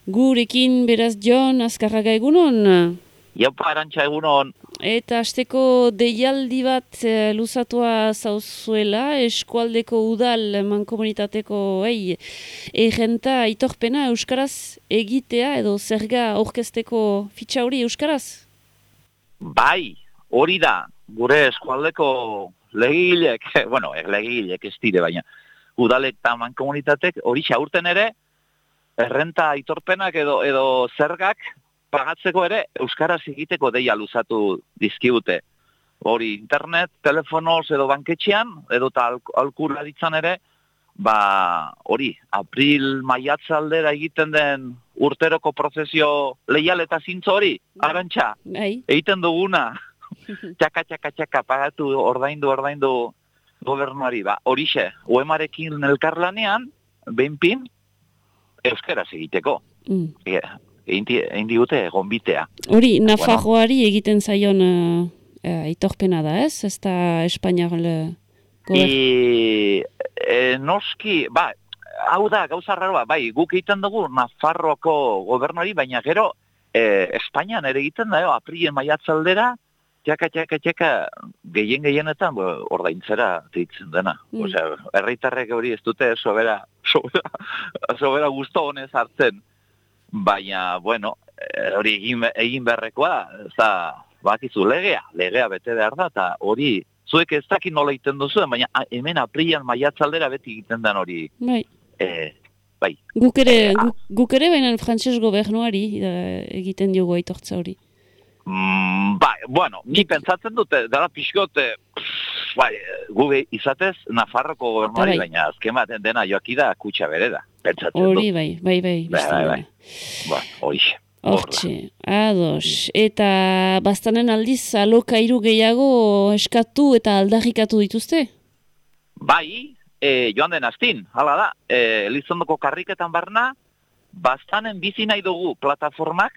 Gurekin beraz Jon Azkarraga egunon. Jaupa Arantxa egunon. Eta hasteko deialdi bat luzatua zauzuela, eskualdeko udal mankomunitateko egenta aitorpena euskaraz egitea edo zerga aurkezteko fitxa hori euskaraz? Bai, hori da, gure eskualdeko legilek, legilek ez dire, baina udalek eta mankomunitatek hori xaurten ere, errenta aitorpenak edo zergak pagatzeko ere euskaraz egiteko deia luzatu dizkigute. Hori internet, telefonoz edo banketxean, edo eta alkura ditzan ere, hori, april maiatzaldera egiten den urteroko prozesio leial eta zintzo hori, Arantxa, egiten duguna, txaka, pagatu, ordaindu gobernuari, horixe, UEMarekin elkarlanean, behinpin, euskaraz egiteko. Egin digute gonbitea. Hori, Nafarroari egiten zaion aitorpena da, ez? Ez da Espainiar noski, hau da, gauza raroa, guk egiten dugu Nafarroako gobernuari, baina gero Espainian ere egiten da, aprilien maiatzaldera, txaka, gehienetan ordaintzera ditzen dena. Herritarrek hori ez dute sobera gusto honez hartzen. Baina, hori egin beharrekoa, bakizu legea bete behar da, eta hori, zuek ez dakit nola egiten duzuen, baina hemen aprilian maiatzaldera beti egiten den hori. Bai. Guk ere baina frantses gobernuari egiten diogu aitortza hori. Ni pentsatzen dute, dara pixkot, gube izatez Nafarroko gobernuari, baina azken baten dena joakida kutsa bere da. Hori bai. Horixe. Hortxe, ados. Eta bastanen aldiz alokairu gehiago eskatu eta aldarrikatu dituzte? Bai, joan den astin, hala da. Elizondoko karriketan barna, bastanen bizi nahi dugu plataformak,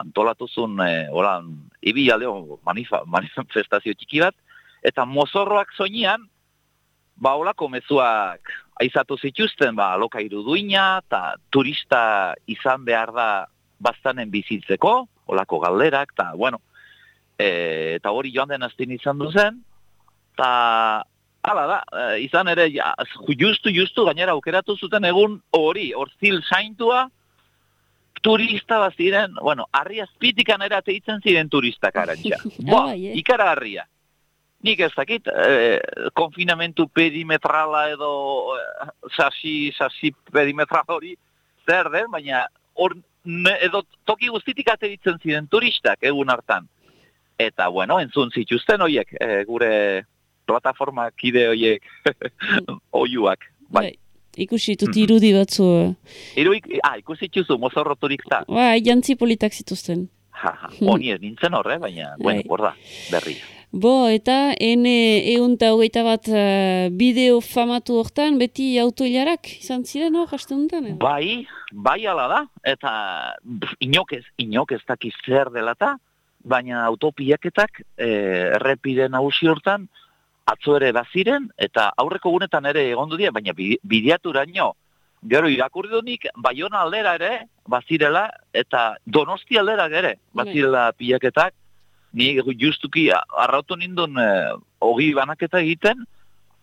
antolatuzun ibilaldeo manifestazio txiki bat, eta mozorroak soinean, olako mezuak aizatu zituzten, alokairu duina, eta turista izan behar da bastanen bizitzeko, olako galderak, eta hori joan den astin izan duzen, eta hala da, izan ere, justu, gainera aukeratu zuten egun hori, Orzil saintua, turista baziren, harri azpitikan erateitzen ziren turistak, Arantxa. Ikara harria. Nik ez dakit, konfinamentu perimetrala edo sasi perimetral hori zer den, baina edo toki guztitik ateitzen ziren turistak egun hartan. Eta, entzun zituzten horiek, gure plataforma kide horiek oiuak. Ikusi dut irudi batzu. Ikusi txuzu, mozorro turista. Jantzi politak zituzten. Honi ez nintzen horre, baina, borda, berri. Eta N121 bideo famatu hortan, beti autoilarak izan ziren hor, haste honetan? Bai ala da, eta inok ez dakiz zer delata, baina autopiaketak errepide nagusi hortan, atzo ere baziren, eta aurreko gunetan ere egondu dira, baina bideaturaino, gero irakurri dunik, Baiona aldera ere, bazirela, eta Donosti aldera ere, bazirela pilaketak, ni justuki arrautu nindun ogi banaketa egiten,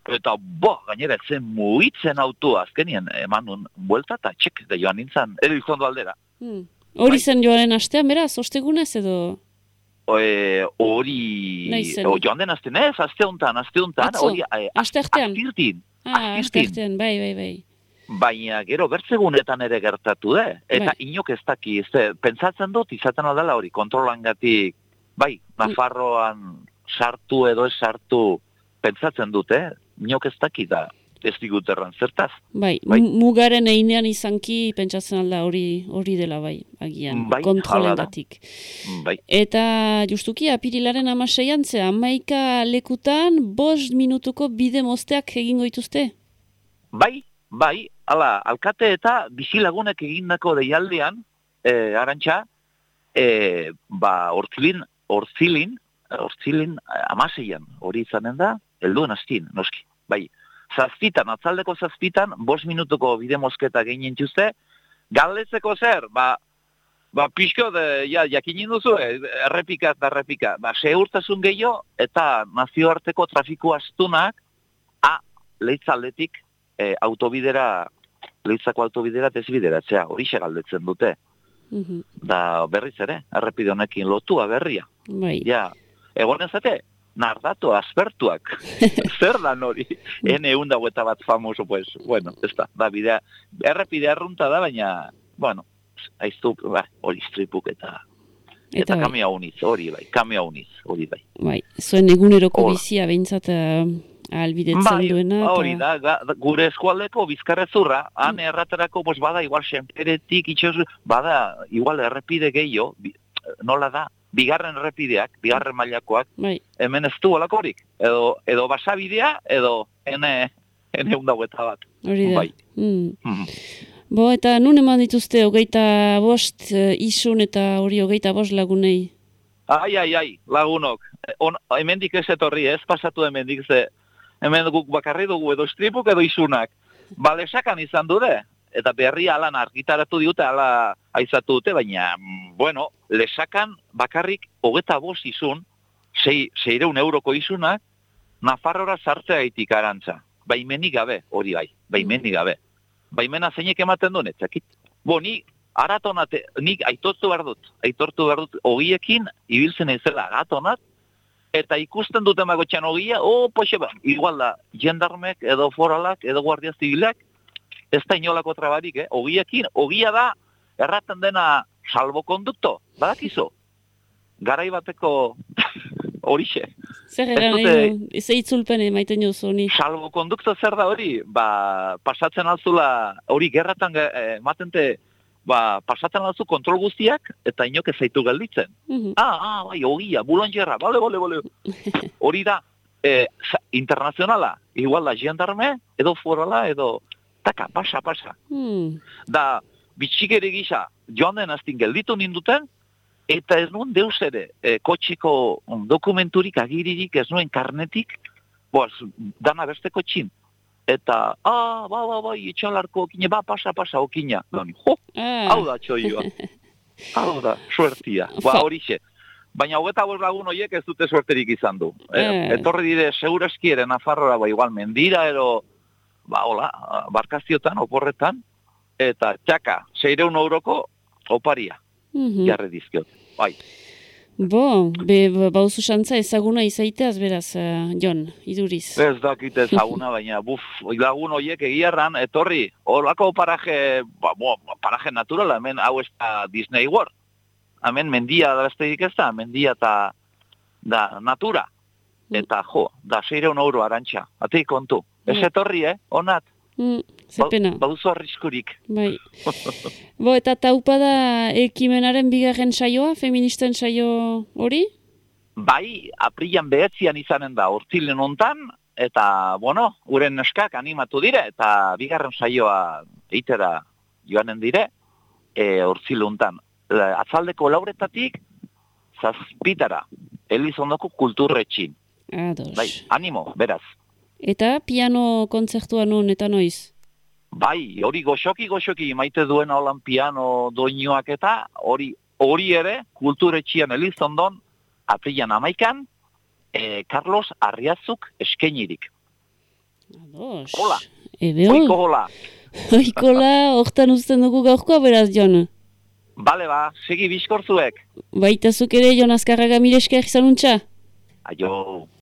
eta gainera zen mugitzen autua, azkenien eman nun buelta eta txek, da joan nintzen, edo izondo aldera. Hori zen joaren astean, beraz, ostegunez edo? Hori joan den aste honetan, hori asteartean, bai. Baina gero bertzegunetan ere gertatu eta inok ez daki, pentsatzen dut izaten aldala hori, kontrolangatik, Nafarroan sartu edo ez sartu pentsatzen dut, inok ez daki da. Ez digut erran zertaz. Mugaren einean izanki pentsatzen alda hori dela agian, kontrolengatik. Eta justuki apirilaren 16an, 11 lekutan 5 minutuko bide mozteak egingo dituzte? Alkate eta bizilagunek egindako deialdean, Arantxa, Orzilin 16an, hori izanen da, helduen astin, noski, atzaldeko 7 5 minutuko bide mozketa gehien txuzte, Galdetzeko zer, pixko jakinin duzu, errepika eta errepika. Segurtasun gehiago eta nazioarteko trafiko astunak leitzaldetik leitzako autobidera desbideratzea, hori galdetzen dute. Da berriz ere, errepide honekin lotua berria. Bai. Ja, egonen zate, nardatu, aspertuak. Zer da hori? N100 bat famoso, pues, bueno, ez da bidea. Errepide arrunta da, baina, bueno, aiztu, hori stripuk eta kamio uniz, hori bai. Bai, zuen eguneroko bizia behintzat albidetzen duena. Hori da, gure eskualdeko bizkarrezurra, han erraterako, bada igual senperetik, bada igual errepide gehiago, nola da, bigarren errepideak, bigarren mailakoak, hemen ez du olakorik, edo basabidea, edo N100 bat. Hori da. Bo, eta nun eman dituzte 25 isun eta hori 25 lagunei? Ai, lagunok. Hemendik ez etorri, ez pasatu hemendik ze. Hemen guk bakarri dugu edo stripuk edo isunak. Lesakan izan dute, eta berri alan argitaratu diute, ala aizatu dute, baina, bueno, lesakan bakarrik 25 isun, 600 euroko isunak, Nafarrora sartzea gaitik Arantza. Baimenik gabe, hori bai, baimenik gabe. Baimena zeinek ematen duen, etzakit. Ni aratonate, nik aitortu behar dut, ogiekin ibiltzen ezela aratonat, eta ikusten dute magotxan ogia, igual da, jendarmek, edo foralak, edo guardia zibilak, ez da inolako trabarik, ogiekin, ogia da, erraten dena salbokondukto, badakizu, garai bateko horixe. Zer eran, ez eitzulpen emaiten jozu honi? Salbokondukto zer da hori, pasatzen alzula, hori gerratan matente, pasatzen alzu kontrol guztiak, eta inok ez zaitu gelditzen. Bai, ogia, bulonjerra, bale. Hori da, internazionala, igual da, jendarme, edo forala, edo, taka, pasa. Da, bitxikeri gisa, joan den aztin gelditu ninduten, eta ez nuen deus ere, kotxiko dokumenturik, agiririk, ez nuen karnetik, dana beste kotxin. Eta, itxalarko okine, pasa okina. Hau da txoioa. Hau da, suertia. Horixe. Baina 25 lagun horiek ez dute suerterik izan du. Etorri dire, segurazki ere Nafarrora, igual mendira, ero, barkaziotan, oporretan, eta txaka, 600 euroko oparia. Jarre dizkiot. Bai. Bo, bauzu xantza ezaguna izaiteaz, beraz, Jon, iduriz. Ez dakit ezaguna, baina, lagun horiek egiarran, etorri, horako paraje naturala, hemen hau ez da Disney World. Hemen mendia da besteik ez da, mendia eta da natura. Eta da 600 euro Arantxa, ateik kontu. Ez etorri, onat. Zepena. Bauzu arriskurik. Bai. Bo, eta taupada ekimenaren bigarren saioa, feministen saio hori? Bai, aprilan 9 izanen da, urtilen hontan, eta, uren neskak animatu dire, eta bigarren saioa eitera joanen dire, urtilen hontan. Atzaldeko 4:00 7:00 Elizondoko kulturretxin. Ados. Bai, animo, beraz. Eta piano kontzertua non eta noiz? Bai, hori goxoki maite duen holan piano doinuak eta hori ere kulturetxian Elizondon aprilan 11 Carlos Arriazuk eskainirik. Ados. Hola. Oiko hola. Oikola, hortan uzten dugu gaurkoa beraz, Jon. Bale, segi bizkorzuek. Baita zuk ere, Jon Azkarraga, mire esker izanuntza? Aio.